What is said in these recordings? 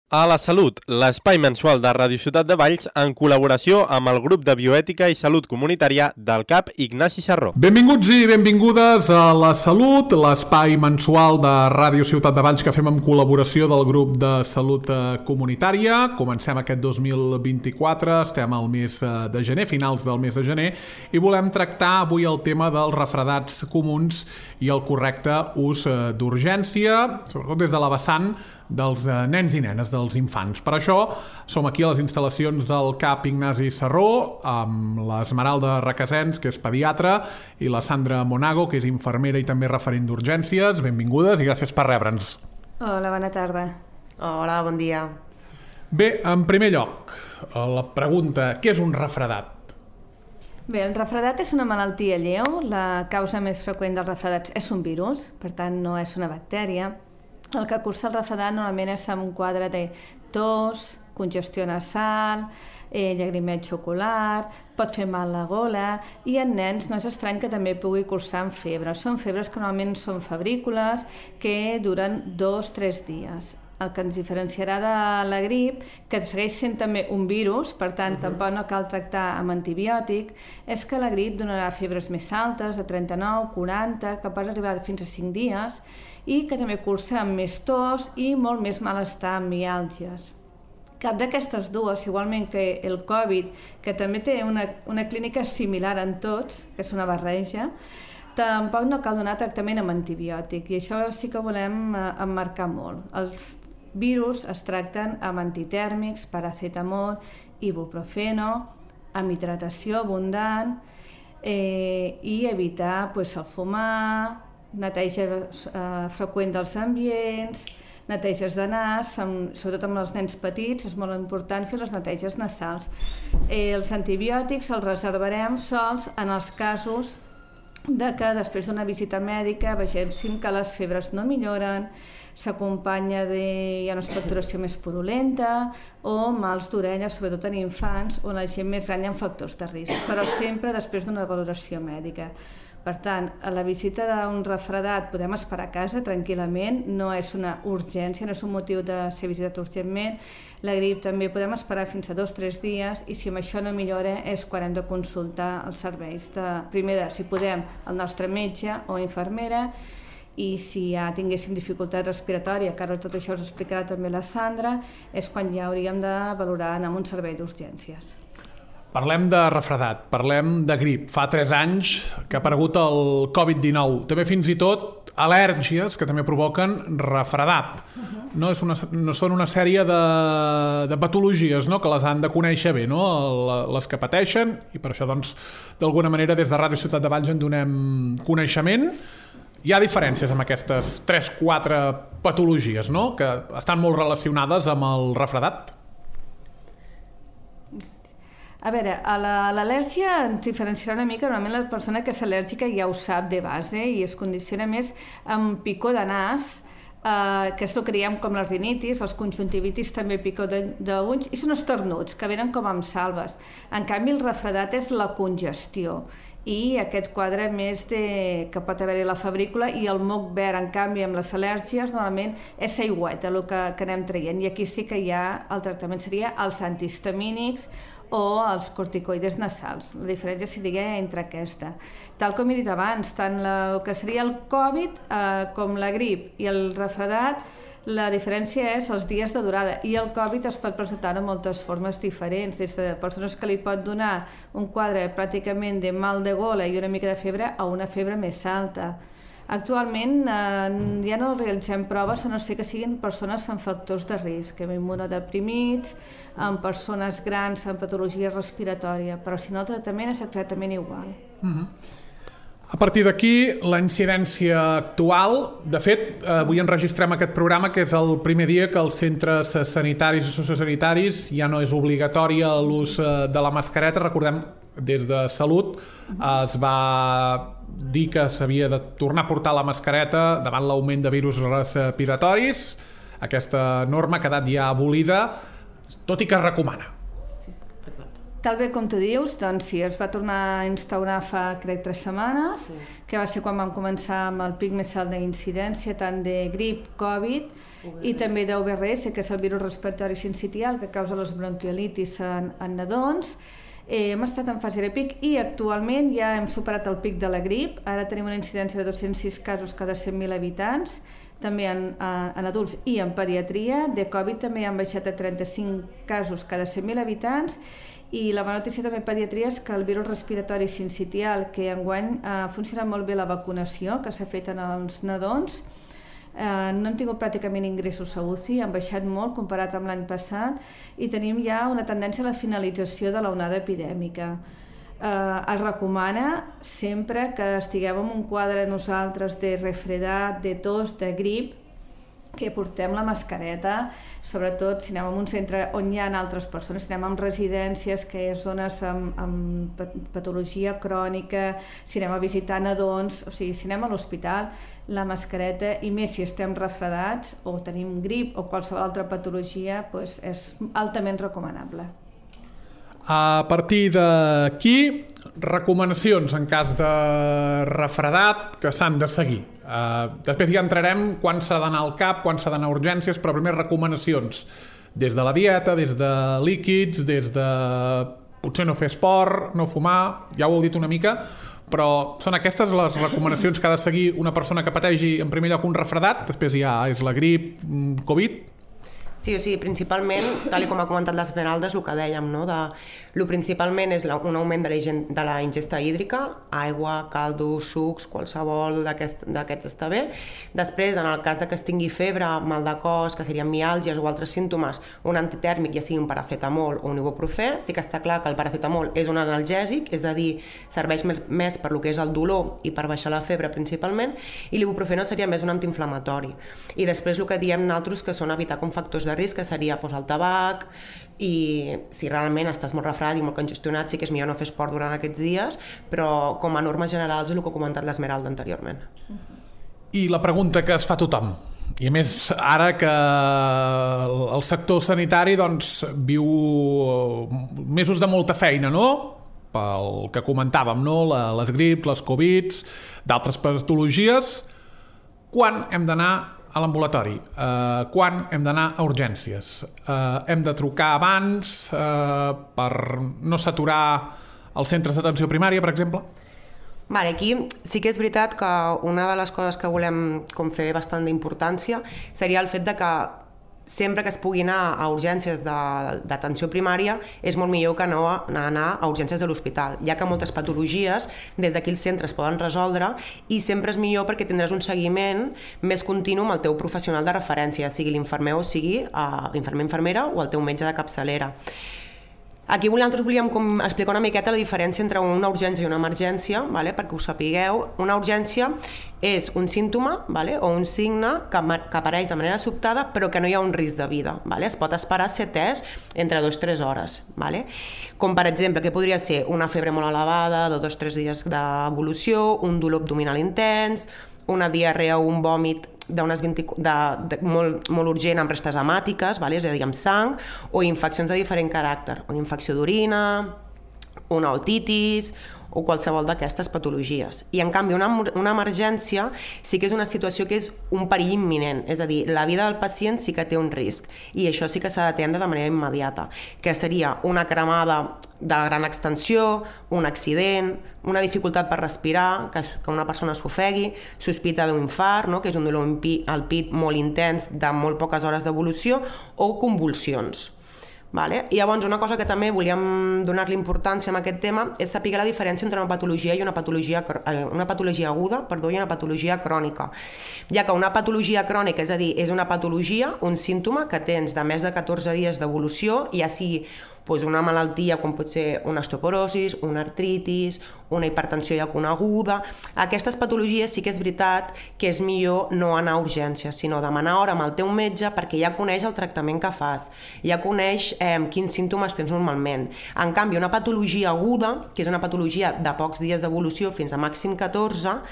A la Salut, l'espai mensual de Ràdio Ciutat de Valls en col·laboració amb el grup de bioètica i salut comunitària del CAP Ignasi Sarró. Benvinguts i benvingudes a La Salut, l'espai mensual de Ràdio Ciutat de Valls que fem en col·laboració del grup de salut comunitària. Comencem aquest 2024, estem al mes de gener, finals del mes de gener, i volem tractar avui el tema dels refredats comuns i el correcte ús d'urgència, sobretot des de la vessant dels nens i nenes, dels infants. Per això som aquí a les instal·lacions del CAP Ignasi Sarró amb l'Esmeralda Requesens, que és pediatra, i la Sandra Monago, que és infermera i també referent d'urgències. Benvingudes i gràcies per rebre'ns. Hola, bona tarda. Hola, bon dia. Bé, en primer lloc, la pregunta, què és un refredat? Bé, el refredat és una malaltia lleu. La causa més freqüent dels refredats és un virus, per tant no és una bactèria. El que cursa el refredat normalment és amb un quadre de tos, congestió nasal, llagrimeig ocular, pot fer mal la gola, i en nens no és estrany que també pugui cursar amb febre. Són febres que normalment són febrícules, que duren 2-3 dies. El que ens diferenciarà de la grip, que segueix sent també un virus, per tant tampoc no cal tractar amb antibiòtic, és que la grip donarà febres més altes, de 39, 40, que pot arribar fins a 5 dies, i que també cursa amb més tos i molt més malestar amb miàlgies. Cap d'aquestes dues, igualment que el Covid, que també té una clínica similar en tots, que és una barreja, tampoc no cal donar tractament amb antibiòtic, i això sí que volem emmarcar molt. Els virus es tracten amb antitèrmics, paracetamol, ibuprofeno, amb hidratació abundant, i evitar el fumar, neteja freqüent dels ambients, neteges de nas, sobretot amb els nens petits, és molt important fer les neteges nasals. Els antibiòtics els reservarem sols en els casos de que després d'una visita mèdica vegem que les febres no milloren, s'acompanya hi ha una expectoració més purulenta o mals d'orella, sobretot en infants o en la gent més gran hi ha factors de risc, però sempre després d'una valoració mèdica. Per tant, a la visita d'un refredat podem esperar a casa tranquil·lament, no és una urgència, no és un motiu de ser visitat urgentment. La grip també podem esperar fins a 2-3 dies i si amb això no millora és quan hem de consultar els serveis primer si podem, el nostre metge o infermera, i si ja tinguéssim dificultat respiratòria, que ara tot això us explicarà també la Sandra, és quan ja hauríem de valorar anar a un servei d'urgències. Parlem de refredat, parlem de grip. Fa 3 anys que ha aparegut el Covid-19. També fins i tot al·lèrgies que també provoquen refredat. No són una sèrie de patologies, no? Que les han de conèixer bé, no? Les que pateixen, i per això doncs, d'alguna manera des de Ràdio Ciutat de Valls en donem coneixement. Hi ha diferències amb aquestes 3-4 patologies, no? Que estan molt relacionades amb el refredat. A veure, a l'al·lèrgia ens diferenciarà una mica. Normalment la persona que és al·lèrgica ja ho sap de base i es condiciona més amb picor de nas, que és el que diem com les rinitis, els conjuntivitis també picor d'ulls, i són estornuts, que venen com amb salves. En canvi, el refredat és la congestió i aquest quadre més que pot haver-hi la febrícula, i el moc verd, en canvi, amb les al·lèrgies, normalment és aigüeta, el que anem traient, i aquí sí que el tractament seria els antihistamínics o els corticoides nasals. La diferència seria entre aquesta. Tal com he dit abans, tant el que seria el Covid com la grip i el refredat, la diferència és els dies de durada, i el Covid es pot presentar de moltes formes diferents, des de persones que li pot donar un quadre pràcticament de mal de gola i una mica de febre a una febre més alta. Actualment ja no realitzem proves a no ser que siguin persones amb factors de risc, amb immunodeprimits, amb persones grans amb patologia respiratòria, però si no el tractament és exactament igual. A partir d'aquí, la incidència actual, de fet, avui enregistrem aquest programa que és el primer dia que els centres sanitaris i sociosanitaris ja no és obligatòria l'ús de la mascareta. Recordem, des de Salut es va dir que s'havia de tornar a portar la mascareta davant l'augment de virus respiratoris. Aquesta norma ha quedat ja abolida, tot i que es recomana. Tal bé com tu dius, doncs sí, es va tornar a instaurar fa, crec, 3 setmanes, que va ser quan vam començar amb el pic més alt d'incidència, tant de grip, Covid, i també d'UVRS, que és el virus respiratori sincitial, que causa les bronquiolitis en nadons. Hem estat en fase de pic i actualment ja hem superat el pic de la grip. Ara tenim una incidència de 206 casos cada 100.000 habitants, també en adults i en pediatria. De Covid també han baixat a 35 casos cada 100.000 habitants. I la bona notícia també en pediatria és que el virus respiratori sincitial, que enguany ha funcionat molt bé la vacunació que s'ha fet en els nadons, no hem tingut pràcticament ingressos a UCI, han baixat molt comparat amb l'any passat i tenim ja una tendència a la finalització de l'onada epidèmica. Es recomana sempre que estigueu en un quadre nosaltres de refredat, de tos, de grip, que portem la mascareta, sobretot si anem a un centre on hi ha altres persones, si anem a residències, que és zones amb patologia crònica, si anem a visitar nadons, o sigui, si anem a l'hospital, la mascareta, i més si estem refredats o tenim grip o qualsevol altra patologia, doncs és altament recomanable. A partir d'aquí, recomanacions en cas de refredat que s'han de seguir. Després ja entrarem quan s'ha d'anar al CAP, quan s'ha d'anar a urgències, però primer recomanacions des de la dieta, des de líquids, des de potser no fer esport, no fumar, ja ho heu dit una mica, però són aquestes les recomanacions que ha de seguir una persona que pateixi en primer lloc un refredat, després ja és la grip, Covid. Sí, o sigui, principalment, tal com ha comentat l'Esmeralda, és el que dèiem, no? Lo principalment és un augment de la ingesta hídrica, aigua, caldos, sucs, qualsevol d'aquests està bé. Després, en el cas que es tingui febre, mal de cos, que serien miàlgies o altres símptomes, un antitèrmic, ja sigui un paracetamol o un ibuprofè. Sí que està clar que el paracetamol és un analgèsic, és a dir, serveix més per lo que és el dolor i per baixar la febre principalment, i l'ibuprofè no seria més un antiinflamatori. I després el que diem nosaltres que són evitar com factors de risc, que seria el tabac, i si realment estàs molt refredat i molt congestionat sí que és millor no fer esport durant aquests dies, però com a normes generals és el que ha comentat l'Esmeralda anteriorment. I la pregunta que es fa tothom, i a més ara que el sector sanitari doncs, viu mesos de molta feina, no? Pel que comentàvem, no? Les grips, les Covids, d'altres patologies, quan hem d'anar a l'ambulatori, quan hem d'anar a urgències, hem de trucar abans per no saturar els centres d'atenció primària, per exemple? Vale, aquí sí que és veritat que una de les coses que volem com fer bastant d'importància seria el fet de que sempre que es pugui anar a urgències d'atenció primària és molt millor que no anar a urgències de l'hospital, ja que moltes patologies des d'aquí els centres poden resoldre i sempre és millor perquè tindràs un seguiment més continu amb el teu professional de referència, sigui l'infermer o sigui infermer-infermera o el teu metge de capçalera. Aquí nosaltres volíem explicar una miqueta la diferència entre una urgència i una emergència, perquè ho sapigueu. Una urgència és un símptoma o un signe que apareix de manera sobtada però que no hi ha un risc de vida. Es pot esperar ser atès entre 2 i 3 hores. Com per exemple, que podria ser una febre molt elevada, de 2 o 3 dies d'evolució, un dolor abdominal intens, una diarrea o un vòmit molt urgent amb restes hemàtiques, és a dir, amb sang, o infeccions de diferent caràcter, una infecció d'orina, una otitis o qualsevol d'aquestes patologies. I en canvi una emergència sí que és una situació que és un perill imminent, és a dir, la vida del pacient sí que té un risc i això sí que s'ha d'atendre de manera immediata, que seria una cremada de gran extensió, un accident, una dificultat per respirar, que una persona s'ofegui, sospita d'un infart, que és un dolor al pit molt intens de molt poques hores d'evolució, o convulsions. I llavors una cosa que també volíem donar-li importància a aquest tema és saber la diferència entre una patologia i una patologia aguda i una patologia crònica, ja que una patologia crònica, és a dir, és una patologia, un símptoma que tens de més de 14 dies d'evolució, ja sigui una malaltia com pot ser una osteoporosi, una artritis, una hipertensió ja coneguda. Aquestes patologies sí que és veritat que és millor no anar a urgències, sinó demanar hora amb el teu metge perquè ja coneix el tractament que fas, ja coneix quins símptomes tens normalment. En canvi, una patologia aguda, que és una patologia de pocs dies d'evolució fins a màxim 14,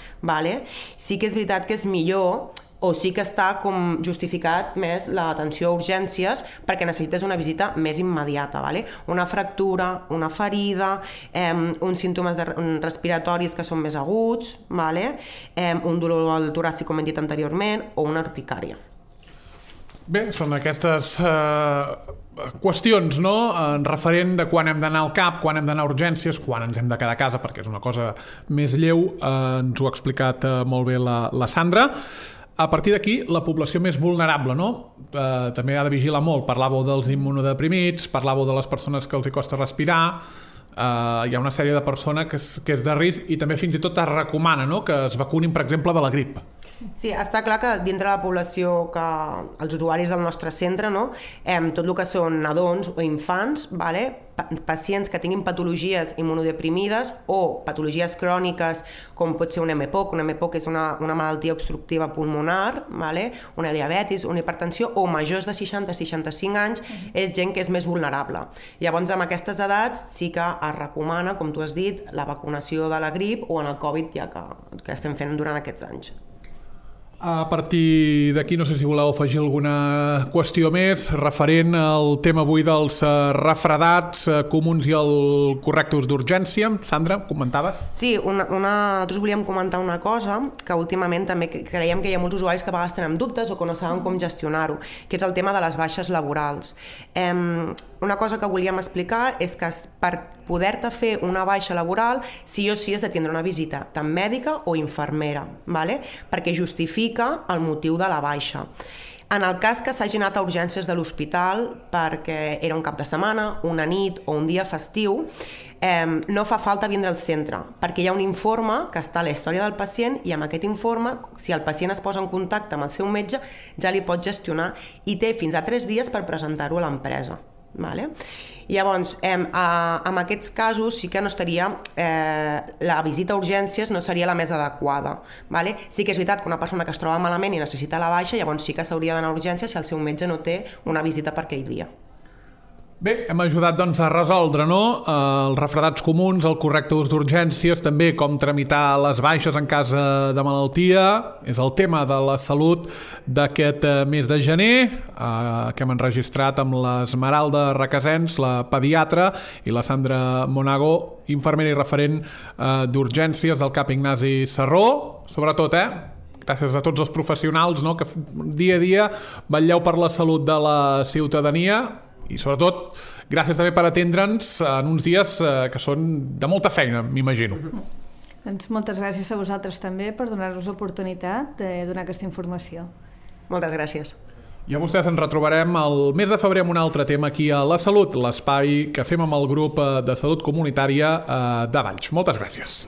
sí que és veritat que és millor o sí que està com justificat més l'atenció a urgències perquè necessites una visita més immediata, vale? Una fractura, una ferida, uns símptomes respiratoris que són més aguts, vale? Un dolor al toràcic, com hem dit anteriorment, o una urticària. Bé, són aquestes qüestions, no? En referent de quan hem d'anar al CAP, quan hem d'anar a urgències, quan ens hem de quedar a casa, perquè és una cosa més lleu, ens ho ha explicat molt bé la Sandra. A partir d'aquí, la població més vulnerable, no? També ha de vigilar molt. Parlàveu dels immunodeprimits, parlàveu de les persones que els hi costa respirar, hi ha una sèrie de persones que és de risc i també fins i tot es recomana, no?, que es vacunin, per exemple, de la grip. Sí, està clar que dintre de la població, que els usuaris del nostre centre, no, tot el que són nadons o infants, vale? Pacients que tinguin patologies immunodeprimides o patologies cròniques, com pot ser un MPOC. Un MPOC és una malaltia obstructiva pulmonar, vale? Una diabetis, una hipertensió, o majors de 60-65 anys, és gent que és més vulnerable. Llavors, amb aquestes edats sí que es recomana, com tu has dit, la vacunació de la grip o en el Covid, ja que estem fent durant aquests anys. A partir d'aquí, no sé si voleu afegir alguna qüestió més referent al tema avui dels refredats comuns i el correcte ús d'urgència. Sandra, comentaves? Sí, nosaltres volíem comentar una cosa que últimament també creiem que hi ha molts usuaris que a vegades tenen dubtes o que no saben com gestionar-ho, que és el tema de les baixes laborals. Una cosa que volíem explicar és que per poder-te fer una baixa laboral, sí o sí has de tindre una visita tant mèdica o infermera, vale? Perquè justifica el motiu de la baixa. En el cas que s'hagi anat a urgències de l'hospital perquè era un cap de setmana, una nit o un dia festiu, no fa falta vindre al centre, perquè hi ha un informe que està a la història del pacient i amb aquest informe, si el pacient es posa en contacte amb el seu metge, ja li pot gestionar i té fins a 3 dies per presentar-ho a l'empresa. Vale? Llavors, en aquests casos sí que no estaria, la visita a urgències no seria la més adequada. Vale? Sí que és veritat que una persona que es troba malament i necessita la baixa, llavors sí que s'hauria d'anar a urgències si el seu metge no té una visita per aquell dia. Bé, hem ajudat doncs, a resoldre, no?, els refredats comuns, el correcte ús d'urgències, també com tramitar les baixes en cas de malaltia. És el tema de la salut d'aquest mes de gener, que hem enregistrat amb l'Esmeralda Requesens, la pediatra, i la Sandra Monago, infermera i referent d'urgències del CAP Ignasi Serró. Sobretot, gràcies a tots els professionals, no?, que dia a dia vetlleu per la salut de la ciutadania. I sobretot, gràcies també per atendre'ns en uns dies que són de molta feina, m'imagino. Doncs moltes gràcies a vosaltres també per donar-nos l'oportunitat de donar aquesta informació. Moltes gràcies. I a vostès ens retrobarem el mes de febrer amb un altre tema aquí a La Salut, l'espai que fem amb el grup de salut comunitària de Valls. Moltes gràcies.